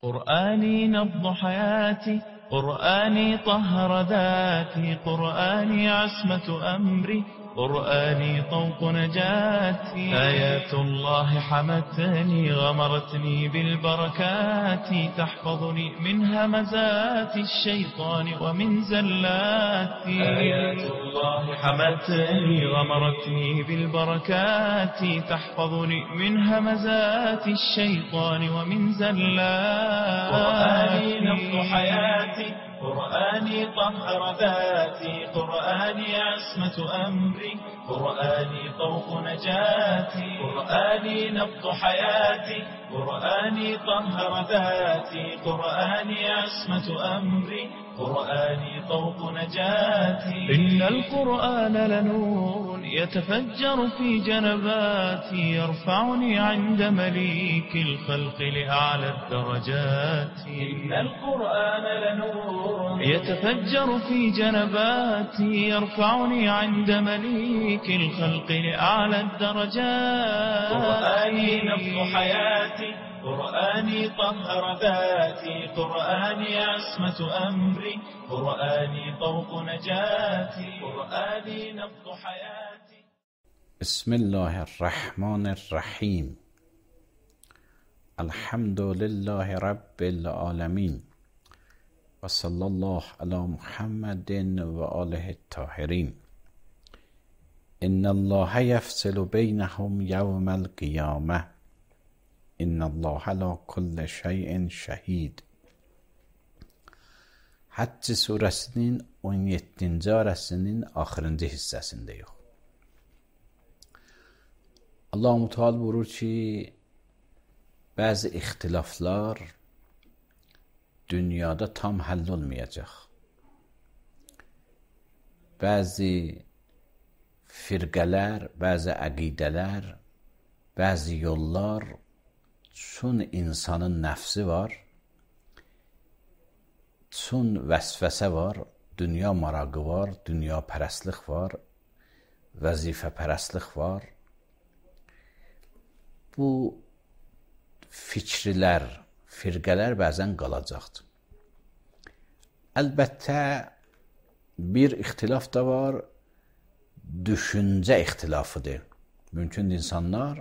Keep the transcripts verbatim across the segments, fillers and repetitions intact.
قرآني نبض حياتي، قرآني طهر ذاتي، قرآني عصمة أمري، قرآني طوق نجاتي. آيات الله حمتني غمرتني بالبركات، تحفظني من همزات الشيطان ومن زلاتي. آيات الله حمتني غمرتني بالبركات، تحفظني من همزات الشيطان ومن زلاتي. قرآني نبض حياتي، قرآني طهر ذاتي، قرآني عصمة أمري، قرآني طوق نجاتي. قرآني نبض حياتي، قرآني طهر ذاتي، قرآني عصمة أمري، قرآني طوق نجاتي. إن القرآن لنور يتفجر في جنباتي، يرفعني عند مليك الخلق لأعلى الدرجات. إن القرآن لنور يتفجر في جنباتي، يرفعني عند مليك الخلق لأعلى الدرجات. قرآني نبض حياتي، قرآني طهر ذاتي، قرآني عصمة أمري، قرآني طوق نجاتي. قرآني نبض حياتي. بسم الله الرحمن الرحیم. الحمد لله رب العالمین و صلی الله علی محمد و آله الطاهرین. ان الله یفصل بینهم یوم القیامه، ان الله علی کل şeyin şəhid. Həcc surəsinin on yeddinci ayəsinin axırıncı hissəsindəyik. Allah-u Teala buyurur ki, bəzi ixtilaflar dünyada tam həll olmayacaq. Bəzi firqələr, bəzi əqidələr, bəzi yollar, çün insanın nəfsi var, çün vəsvəsə var, dünya marağı var, dünya pərəstlik var, vəzifə pərəstlik var. Bu fikrilər, firqələr bəzən qalacaqdır. Əlbəttə, bir ixtilaf da var, düşüncə ixtilafıdır. Mümkün insanlar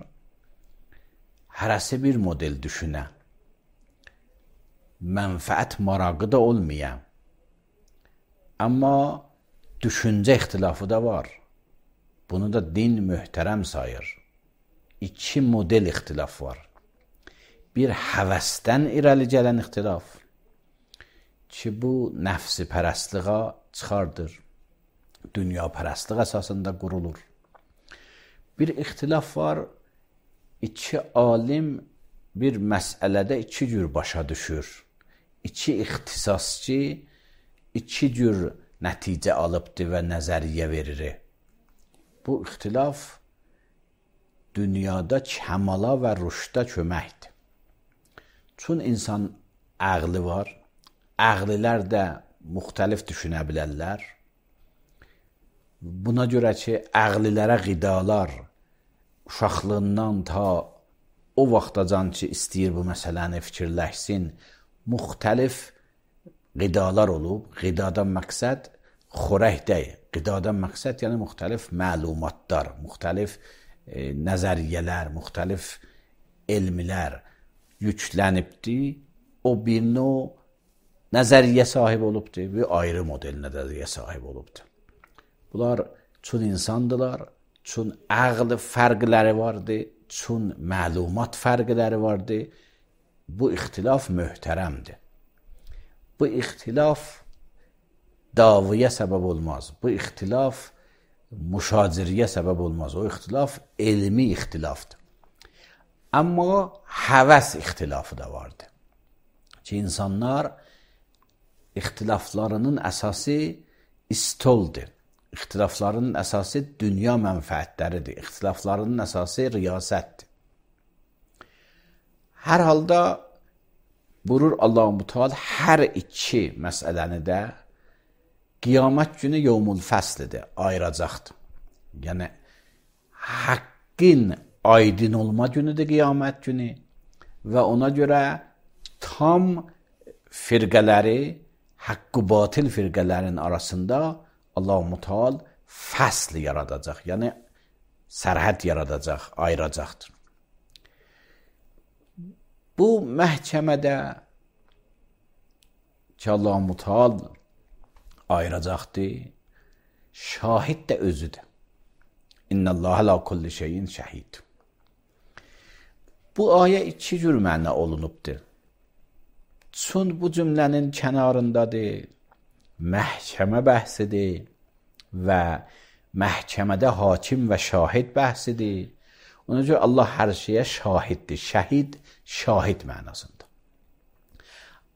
hərəsi bir model düşünə, mənfəət marağı da olmaya, amma düşüncə ixtilafı da var. Bunu da din möhtərəm sayır. İki model ixtilaf var. Bir həvəsdən irəli gələn ixtilaf ki, bu nəfsi pərəstliğə çıxardır, dünya pərəstliq əsasında qurulur. Bir ixtilaf var, İki alim bir məsələdə iki cür başa düşür. İki ixtisasçı iki cür nəticə alıbdır və nəzəriyyə verir. Bu ixtilaf dünyada kəmala və rüşdə köməkdir. Çün insan əqli var, əqlilər də müxtəlif düşünə bilərlər. Buna görə ki, əqlilərə qidalar uşaqlığından ta o vaxtacan ki, istəyir bu məsələni fikirləşsin, müxtəlif qidalar olub. Qidadan məqsəd xörək deyil. Qidadan məqsəd yəni müxtəlif məlumatlar, müxtəlif e, nəzəriyyələr, müxtəlif elmlər yüklənibdir. O bir növ nəzəriyyə sahib olubdur, bir ayrı model nəzəriyyə sahib olubdur. Bunlar çün insandılar, çün əql fərqləri vardı, çün məlumat fərqləri vardı. Bu ixtilaf möhtərəmdir. Bu ixtilaf davıya səbəb olmaz. Bu ixtilaf müşaciriyə səbəb olmaz. O ixtilaf elmi ixtilafdır. Amma həvəs ixtilafı da vardı. Ki, insanlar ixtilaflarının əsası istoldur. İxtilaflarının əsası dünya mənfəətləridir. İxtilaflarının əsası riyasətdir. Hər halda buyurur Allah-u Teala hər iki məsələni də qiyamət günü yevmul fəslidir, ayıracaqdır. Yəni, haqqın aydın olma günüdür qiyamət günü və ona görə tam firqələri, haqq-ı batil firqələrinin arasında Allah-u Teala fəsl yaradacaq. Yəni sərhəd yaradacaq, ayıracaqdır. Bu məhkəmədə ki Allah-u Teala ayıracaqdır, şahid də özüdür. İnnəllaha la kulli şeyin şəhid. Bu ayə iki cür məna olunubdur. Çün bu cümlənin kənarındadır, məhkəmə bəhsidir və məhkəmədə hakim və şahid bəhsidir. Ona görə Allah hər şeyə şahiddir. Şəhid, şahid mənasında.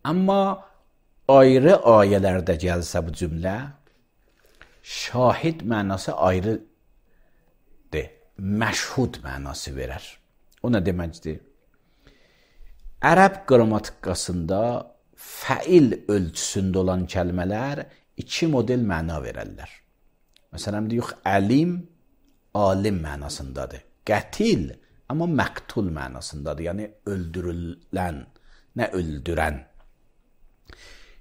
Amma ayrı ayələrdə gəlsə bu cümlə, şahid mənası ayrıdır, məşhud mənası verər. O nə deməkdir? Ərəb qrammatikasında fəil ölçüsündə olan kəlmələr iki model məna verərlər. Məsələn, deyək, əlim, alim mənasındadır. Qətil, amma məqtul mənasındadır. Yəni, öldürülən, nə öldürən.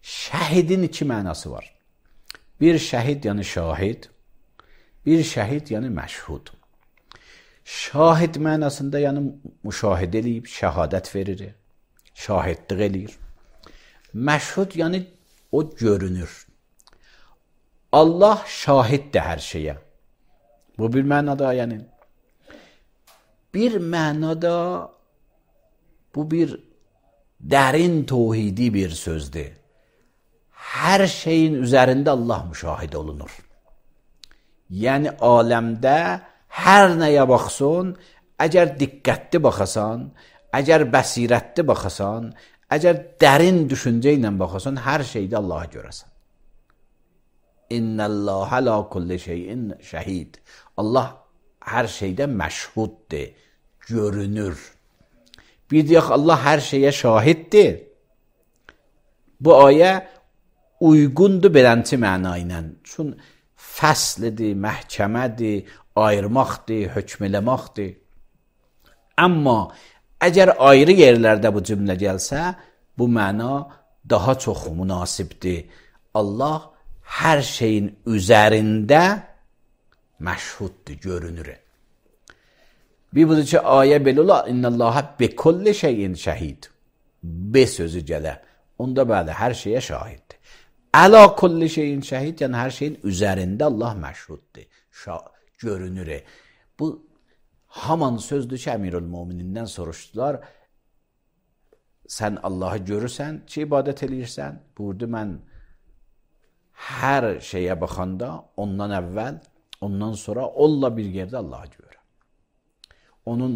Şəhidin iki mənası var. Bir şəhid, yəni şahid, bir şəhid, yəni məşhud. Şahid mənasında, yəni müşahidə eləyib, şəhadət verir, şahidlik eləyir. Məşhud, yəni o görünür. Allah şahiddir hər şeyə. Bu bir mənada, yəni. Bir mənada bu bir dərin tevhidi bir sözdür. Hər şeyin üzərində Allah müşahid olunur. Yəni aləmdə hər nəyə baxsın, əgər diqqətli baxasan, əgər bəsirətli baxasan, əgər dərin düşüncə ilə baxasan, hər şeydə Allaha görəsən. İnnəllaha la kulli şeyin şəhid. Allah hər şeydə məşhuddir, görünür. Bir deyək, Allah hər şeyə şahiddir. Bu ayə uyğundur belənçi məna ilə. Çün fəslidir, məhkəmədir, ayırmaqdır, hökm eləmaqdır. Amma əgər ayrı yerlərdə bu cümlə gəlsə, bu məna daha çox münasibdir. Allah hər şeyin üzərində məşhuddur, görünür. Bir budur ki, ayə belə ola, İnnəllaha bekulli şeyin şəhid. Be sözü gələ. Onda bəli, hər şeyə şahiddir. Əla kulli şeyin şəhid, yəni hər şeyin üzərində Allah məşhuddur, görünür. Bu, haman sözdür ki, Əmirül-Müminindən soruşdular, sən Allahı görürsən ki, ibadət eləyirsən? Buyurdu, mən hər şeyə baxanda ondan əvvəl, ondan sonra onunla bir yerdə Allahı görürəm. Onun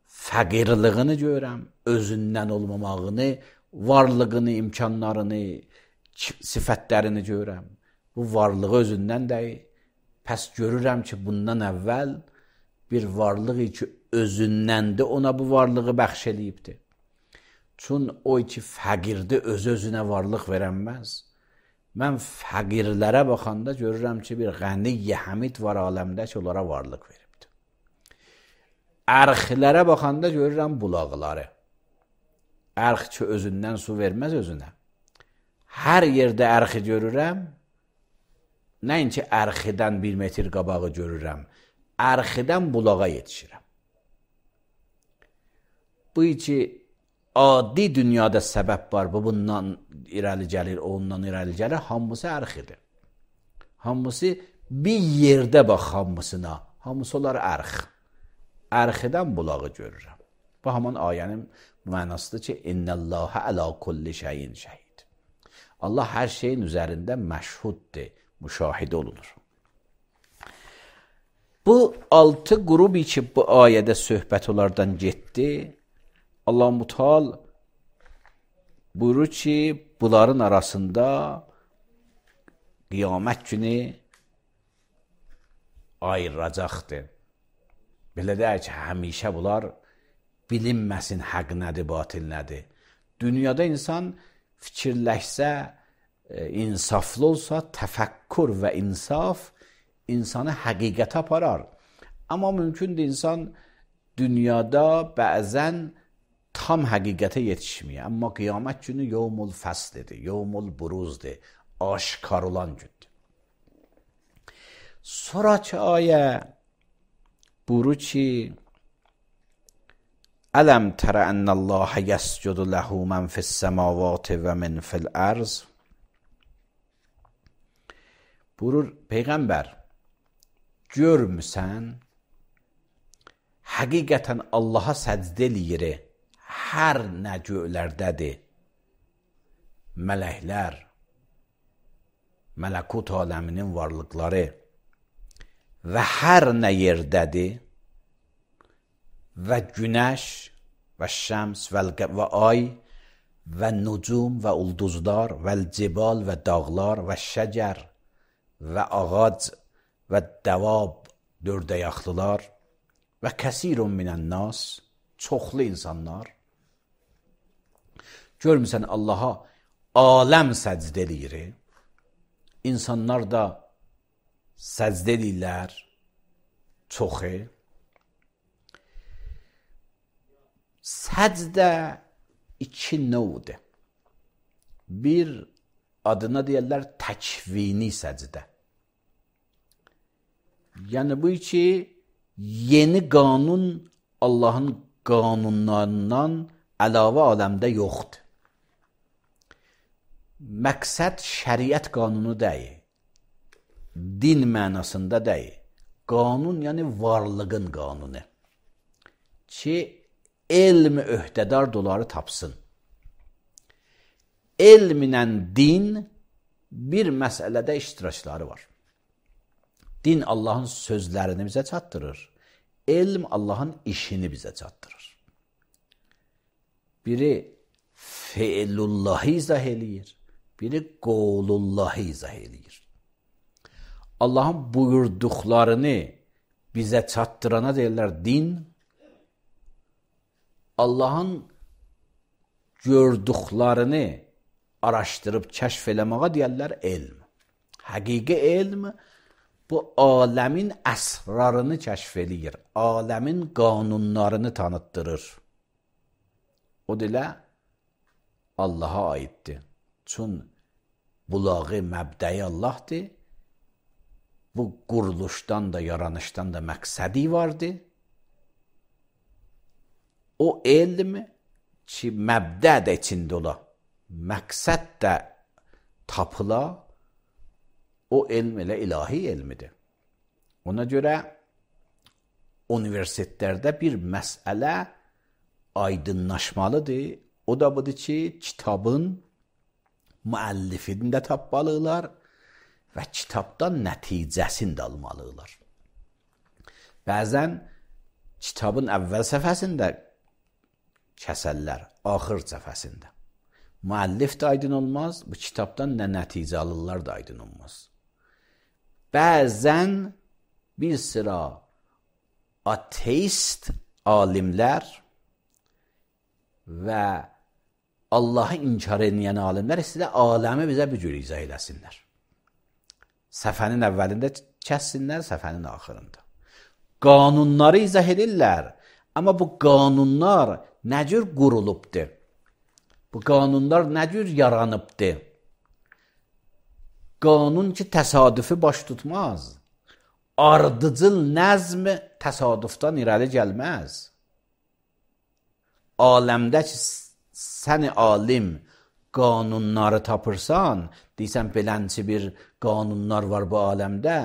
fəqirlığını görürəm, özündən olmamağını, varlığını, imkanlarını, sifətlərini görürəm. Bu varlığı özündən deyil. Pəs görürəm ki, bundan əvvəl bir varlığı ki, özündəndir, ona bu varlığı bəxş eləyibdir. Çün o ki, fəqirdir, öz-özünə varlıq verənməz. Mən fəqirlərə baxanda görürəm ki, bir qəniy həmid var aləmdə ki, onlara varlıq veribdir. Ərxlərə baxanda görürəm bulaqları. Ərx ki, özündən su verməz özünə. Hər yerdə ərxi görürəm, nəinki ərxidən bir metr qabağı görürəm, ərxidən bulağa yetişirəm. Bu ki, adi dünyada səbəb var, bu bundan irəli gəlir, ondan irəli gəlir, hamısı ərxidir. Hamısı bir yerdə bax hamısına, hamısı olar ərx. Ərxidən bulağı görürəm. Bu haman ayənin mənasıdır ki, İnnəllaha əla kulli şeyin şəhid. Allah hər şeyin üzərində məşhuddir, müşahidə olunur. Bu altı qrubi ki, bu ayədə söhbət onlardan getdi, Allah-u Teala buyurur ki, bunların arasında qiyamət günü ayıracaqdır. Belə deyək ki, həmişə bunlar bilinməsin həq nədir, batil nədir. Dünyada insan fikirləşsə, insaflı olsa, təfəkkür və insaf insanı həqiqətə aparar. Amma mümkündür insan dünyada bəzən tam həqiqətə yetişmiyor. Amma qiyamət günü yevmul fəslidir, yevmul buruzdur, aşkar olan gündür. Sonraki ayə buyurur ki, Ələm tərə ənəlləhə yəscudu ləhu mən fis-səmavati və min fil-ərz. Buyurur, Peyğəmbər, görmüsən, həqiqətən Allaha səcdə eləyir, hər nə göylərdədir, mələklər, mələkut aləminin varlıqları və hər nə yerdədir və günəş və şəms və ay və nucum və ulduzlar və cibal və dağlar və şəcər və ağac və dəvab, dördəyaqlılar və kəsirun minən nas, çoxlu insanlar. Görmüsən Allaha aləm səcdə eləyir. İnsanlar da səcdə eləyirlər çoxu. Səcdə iki növdür. Bir adına deyirlər təkvini səcdə. Yəni bu ki, yeni qanun Allahın qanunlarından əlavə aləmdə yoxdur. Məqsəd şəriət qanunu deyil, din mənasında deyil. Qanun yəni varlığın qanunu. Ki, elm öhdədar doları tapsın. Elminlə din bir məsələdə iştirakları var. Din Allahın sözlərini bizə çatdırır. Elm Allahın işini bizə çatdırır. Biri fe'lullahi izah eləyir, biri qovlullahi izah eləyir. Allahın buyurduqlarını bizə çatdırana deyirlər din, Allahın gördüklərini araşdırıb kəşf eləməyə deyirlər elm. Həqiqi elm bu aləmin əsrarını kəşf eləyir, aləmin qanunlarını tanıtdırır. O dilə Allaha aiddir. Çün bulağı məbdəyi Allahdır. Bu quruluşdan da, yaranışdan da məqsədi vardır. O elm ki, məbdə də içində ola, məqsəd də tapıla, o elm elə ilahi elmidir. Ona görə universitetlərdə bir məsələ aydınlaşmalıdır. O da budur ki, kitabın müəllifini də tapmalılar və kitabdan nəticəsini də almalılar. Bəzən kitabın əvvəl səhifəsində kəsərlər, axır səhifəsində. Müəllif də aydın olmaz, bu kitabdan nə nəticə alırlar da aydın olmaz. Bəzən bir sıra ateist alimlər və Allahı inkar edən alimlər istədə aləmi bizə bir cür izah eləsinlər. Səfənin əvvəlində kəssinlər, səfənin axırında. Qanunları izah edirlər, amma bu qanunlar nə cür qurulubdur? Bu qanunlar nə cür yaranıbdır? Qanun ki, təsadüfi baş tutmaz. Ardıcıl nəzm təsadüfdən irəli gəlməz. Aləmdə ki, sən alim qanunları tapırsan, deysən, belənçi bir qanunlar var bu aləmdə,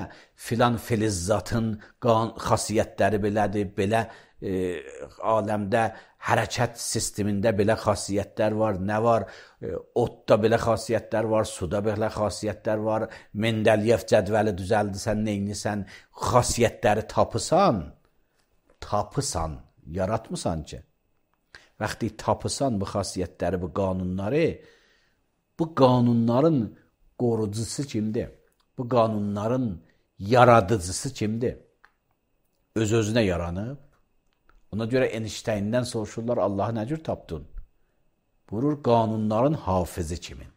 filan filizzatın xasiyyətləri belədir, belə e, aləmdə hərəkət sistemində belə xasiyyətlər var, nə var? E, otda belə xasiyyətlər var, suda belə xasiyyətlər var, Mendeleyev cədvəli düzəldirsən, neynisən, xasiyyətləri tapısan, tapısan, yaratmısan ki. Vaxtı tapısan bu xasiyyətləri, bu qanunları, bu qanunların qorucusu kimdir? Bu qanunların yaradıcısı kimdir? Öz-özünə yaranıb. Ona görə Einsteindən soruşurlar, Allahı nə cür tapdın? Buyurur, qanunların hafizi kimin?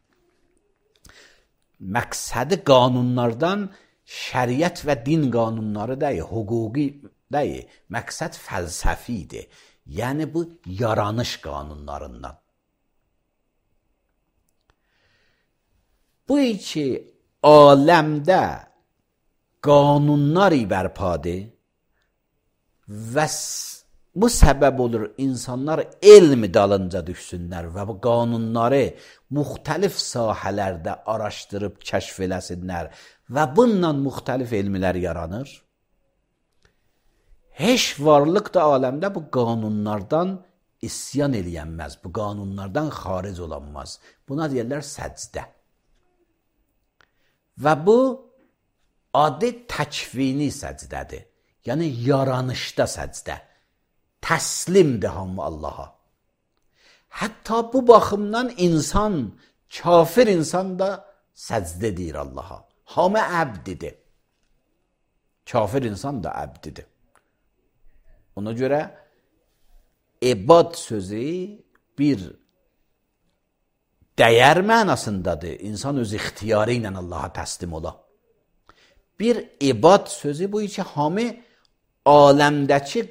Məqsədi qanunlardan şəriət və din qanunları deyil, hüquqi deyil. Məqsəd fəlsəfidir. Yəni bu yaranış qanunlarından. Bu iki aləmdə qanunlar bərpadır və bu səbəb olur insanlar elm dalınca düşsünlər və bu qanunları müxtəlif sahələrdə araşdırıb kəşf eləsinlər və bununla müxtəlif elmlər yaranır. Heç varlıq da aləmdə bu qanunlardan isyan eləyənməz, bu qanunlardan xaric olanmaz. Buna deyirlər səcdə. Və bu adı təkvini səcdədir. Yəni yaranışda səcdə. Təslimdir hamı Allaha. Hətta bu baxımdan insan, kafir insan da səcdə deyir Allaha. Hamı əbdidir. Kafir insan da əbdidir. Ona görə ibad sözü bir dəyər mənasındadır. İnsan öz ixtiyarı ilə Allaha təslim ola. Bir ibad sözü bu ki, hamı aləmdəki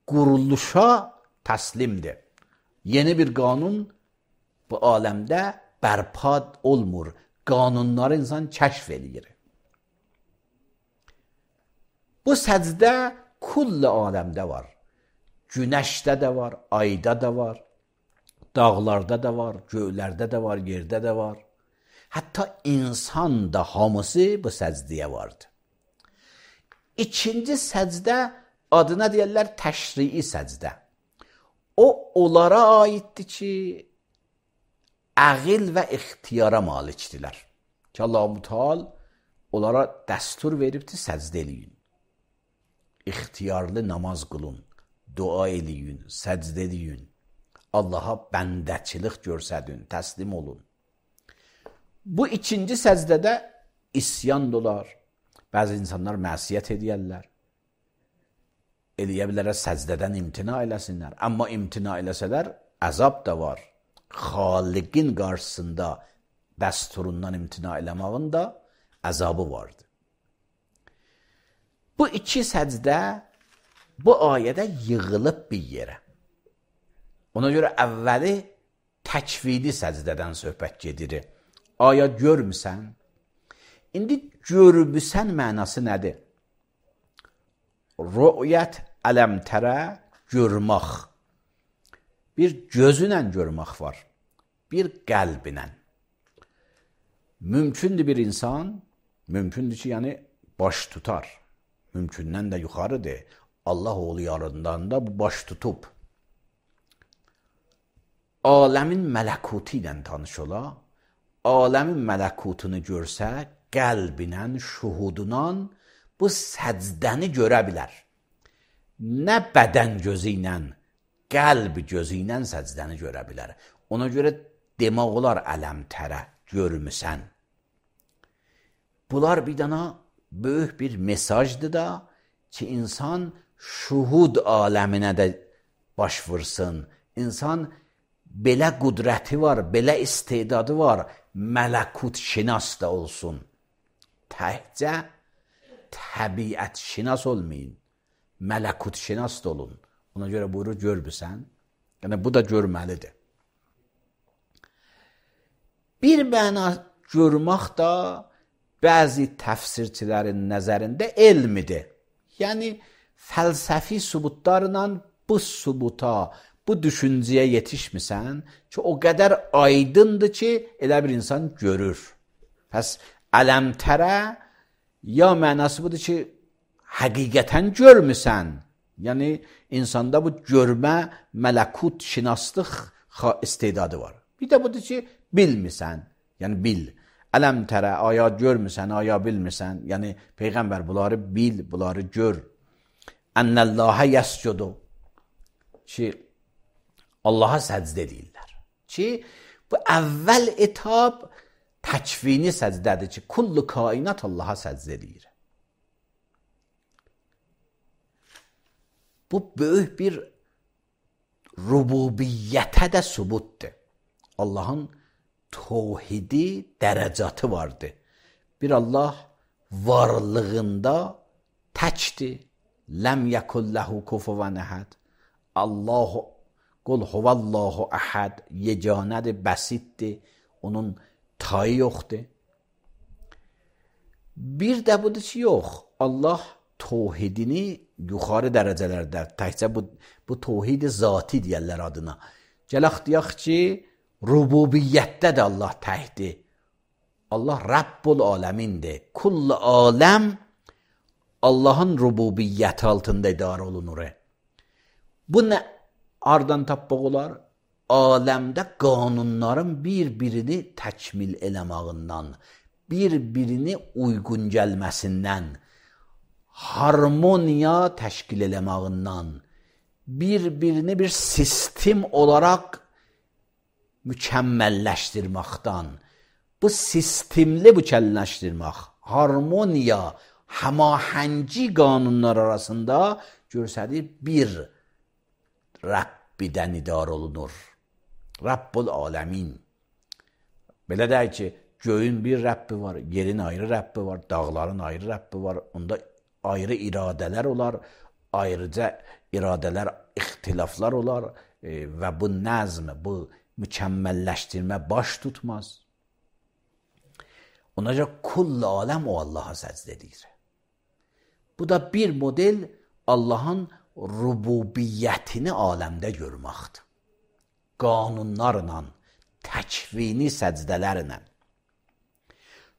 quruluşa təslimdir. Yeni bir qanun bu aləmdə bərpa olmur. Qanunları insan kəşf eləyir. Bu səcdə kulli aləmdə var. Günəşdə də var, ayda da var, dağlarda da var, göylərdə də var, yerdə də var. Hətta insan da hamısı bu səcdiyə vardı. İkinci səcdə adına deyirlər təşrii səcdə. O, onlara aiddir ki, əqil və ixtiyara malikdirlər. Ki, Allah-u Teala onlara dəstur veribdir, səcdə eləyin. İxtiyarlı namaz qılın, dua eləyin, səcdə eləyin. Allaha bəndəçilik görsədin, təslim olun. Bu ikinci səcdədə isyan dolar. Bəzi insanlar məsiyyət edərlər. Eləyə bilərlər səcdədən imtina eləsinlər. Amma imtina eləsələr, əzab da var. Xaliqin qarşısında dəsturundan imtina eləmağın da əzabı vardır. Bu iki səcdə bu ayədə yığılıb bir yerə. Ona görə əvvəli təkvidi səcdədən söhbət gedir. Aya görmüsən? İndi görmüsən mənası nədir? Rü'yət ələmtərə görmək. Bir gözünlə görmək var. Bir qəlbinlə. Mümkündür bir insan, mümkündür ki, yəni baş tutar. Mümkündən də yuxarıdır. Allah oğlu yarından da bu baş tutub. Aləmin mələkutu ilə tanış ola, aləmin mələkutunu görsə, qəlbinlə, şuhudunla bu səcdəni görə bilər. Nə bədən gözü ilə, qəlb gözü ilə səcdəni görə bilər. Ona görə demək olar ələmtərə, görmüsən. Bunlar bir dana böyük bir mesajdır da ki, insan şuhud aləminə də baş vursun. İnsan belə qudrəti var, belə istedadı var, mələkut şinas da olsun. Təhcə təbiət şinas olmayın, mələkut şinas da olun. Ona görə buyurur, görmüsən. Yəni, bu da görməlidir. Bir məna görmək da bəzi təfsirçilərin nəzərində elmidir. Yəni, fəlsəfi sübutlarla bu sübuta, bu düşüncəyə yetişmirsən ki, o qədər aydındır ki, elə bir insan görür. Pəs, ələmtərə ya mənası budur ki, həqiqətən görmüsən. Yəni, insanda bu görmə, mələkut, şinaslıq istedadı var. Bir də budur ki, bilmirsən. Yəni, bil. Ələmtərə, aya görmüsən, aya bilmirsən. Yəni, Peyğəmbər bunları bil, bunları gör. Ənəlləhə yəscudu. Ki, Allaha səcdə edirlər. Ki, bu əvvəl etab təkvini səcdədir ki, kullu kainat Allaha səcdə edir. Bu böyük bir rububiyyətə də sübutdur. Allahın tövhidi dərəcatı vardır. Bir Allah varlığında təkdir. Ləm yəkun ləhu kufuvan əhəd. Allah Qul huvallahu əhəd, yeganədir, bəsitdir, onun tayı yoxdur. Bir də budur ki, yox, Allah tövhidini yuxarı dərəcələrdə, təkcə bu, bu tövhid zati deyərlər adına. Gələk deyək ki, rububiyyətdə də Allah təkdir. Allah Rabbul aləmindir. Kull aləm Allahın rububiyyəti altında idarə olunur. Bu nə hardan tapmaq olar? Aləmdə qanunların bir-birini təkmil eləməyindən, bir-birini uyğun gəlməsindən, harmoniya təşkil eləməyindən, bir-birini bir sistem olaraq mükəmməlləşdirməkdən, bu sistemli mükəmməlləşdirmək, harmoniya, həmahəngi qanunlar arasında görsədir bir Rəbbidən idarə olunur. Rabbul aləmin. Belə deyək ki, göyün bir Rəbbi var, yerin ayrı Rəbbi var, dağların ayrı Rəbbi var, onda ayrı iradələr olar, ayrıca iradələr, ixtilaflar olar e, və bu nəzm, bu mükəmməlləşdirmə baş tutmaz. Ona görə kull aləm o Allaha səcdə edir. Bu da bir model Allahın rububiyyətini aləmdə görməkdir. Qanunlarla, təkvini səcdələrlə.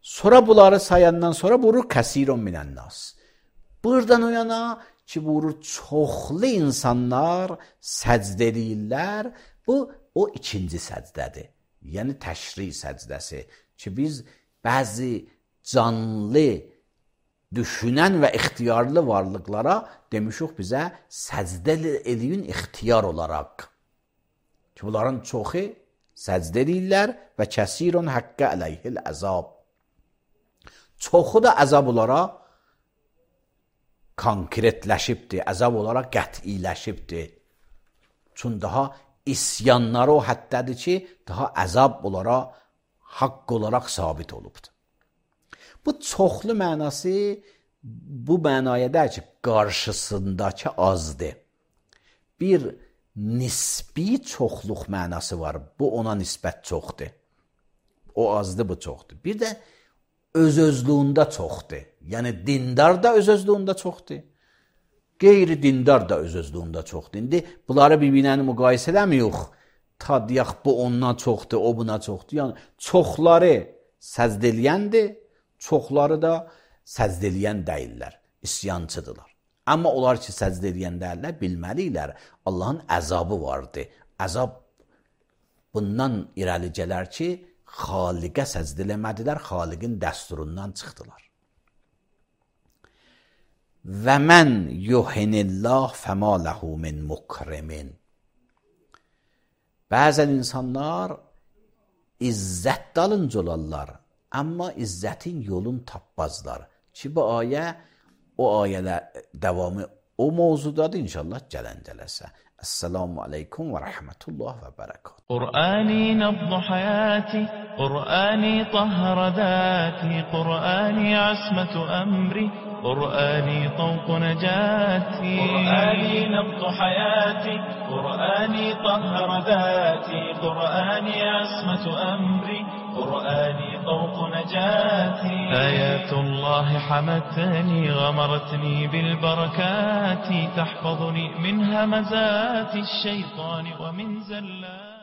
Sonra bunları sayandan sonra vurur kəsirun minənnas. Buradan o yana ki, vurur çoxlu insanlar səcdə edirlər. Bu, o ikinci səcdədir. Yəni təşri səcdəsi. Ki, biz bəzi canlı, düşünən və ixtiyarlı varlıqlara demişik bizə səcdə edin ixtiyar olaraq. Ki, bunların çoxu səcdə edirlər və kəsirun haqqə əleyhil əzab. Çoxu da əzab olaraq konkretləşibdir, əzab olaraq qətiləşibdir. Çünki daha isyanları o həddədir ki, daha əzab olaraq, haqq olaraq sabit olubdur. Bu çoxlu mənası bu mənaya deyir ki, qarşısındakı azdır. Bir nisbi çoxluq mənası var. Bu ona nisbət çoxdur. O azdır, bu çoxdur. Bir də öz-özlüyündə çoxdur. Yəni dindar da öz-özlüyündə çoxdur. Qeyri-dindar da öz-özlüyündə çoxdur. İndi bunları bir-birinə müqayisə eləmirik. Ta deyək, bu ondan çoxdur, o buna çoxdur. Yəni çoxları səzd eləyəndir, çoxları da səzd eləyən deyirlər, isyancıdırlar. Amma onlar ki, səzd eləyən deyirlər, bilməliylər, Allahın əzabı vardır. Əzab bundan irəli gələr ki, Xaliqə səzd eləmədilər, Xaliqin dəsturundan çıxdılar. Və mən yuhinillah fəma ləhu min mukrimin. Bəzən insanlar izzət dalınca olarlar, amma izzətin yolunu tapmazlar. Ki, bu ayə, o ayələr davamı o mövzudadır, inşallah gələn gələsə. Esselamu aleykum və rəhmətullah və bərəkət. قرآني نبض حياتي قرآني طهر ذاتي قرآني عصمة أمري قرآني طوق نجاتي قرآني نبض حياتي قرآني طهر ذاتي قرآني عصمة أمري قرآني طوق نجاتي آيات الله حمتني غمرتني بالبركات تحفظني من همزات الشيطان ومن زلات